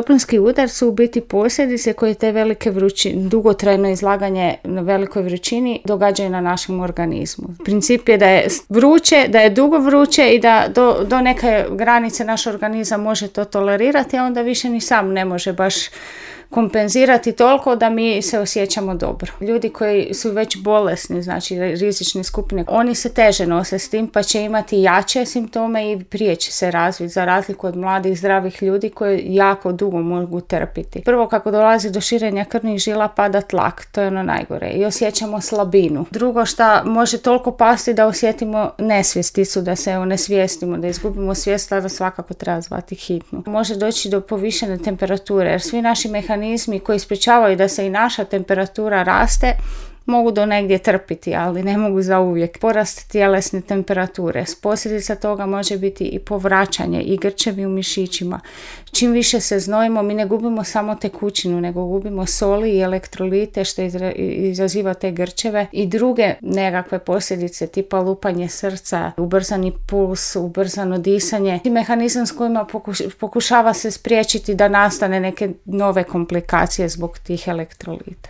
toplinski udar su u biti posljedice koje te velike dugotrajno izlaganje na velikoj vrućini događaju na našem organizmu. Princip je da je vruće, da je dugo vruće i da do neke granice naš organizam može to tolerirati, a onda više ni sam ne može baš kompenzirati toliko da mi se osjećamo dobro. Ljudi koji su već bolesni, znači rizične skupine, oni se teže nose s tim pa će imati jače simptome i prije će se razviti, za razliku od mladih zdravih ljudi koji jako dugo mogu trpiti. Prvo, kako dolazi do širenja krvnih žila, pada tlak, to je ono najgore, i osjećamo slabinu. Drugo, šta može toliko pasti da osjetimo nesvjesticu, da se onesvijestimo, da izgubimo svijest, tada svakako treba zvati hitnu. Može doći do povišene temperature, jer svi naši mehanizmi koji sprječavaju da se i naša temperatura raste mogu do negdje trpiti, ali ne mogu zauvijek. Porast tjelesne temperature. Posljedica toga može biti i povraćanje i grčevi u mišićima. Čim više se znojimo, mi ne gubimo samo tekućinu, nego gubimo soli i elektrolite što izaziva te grčeve i druge nekakve posljedice tipa lupanje srca, ubrzani puls, ubrzano disanje. I mehanizam s kojima pokušava se spriječiti da nastane neke nove komplikacije zbog tih elektrolita.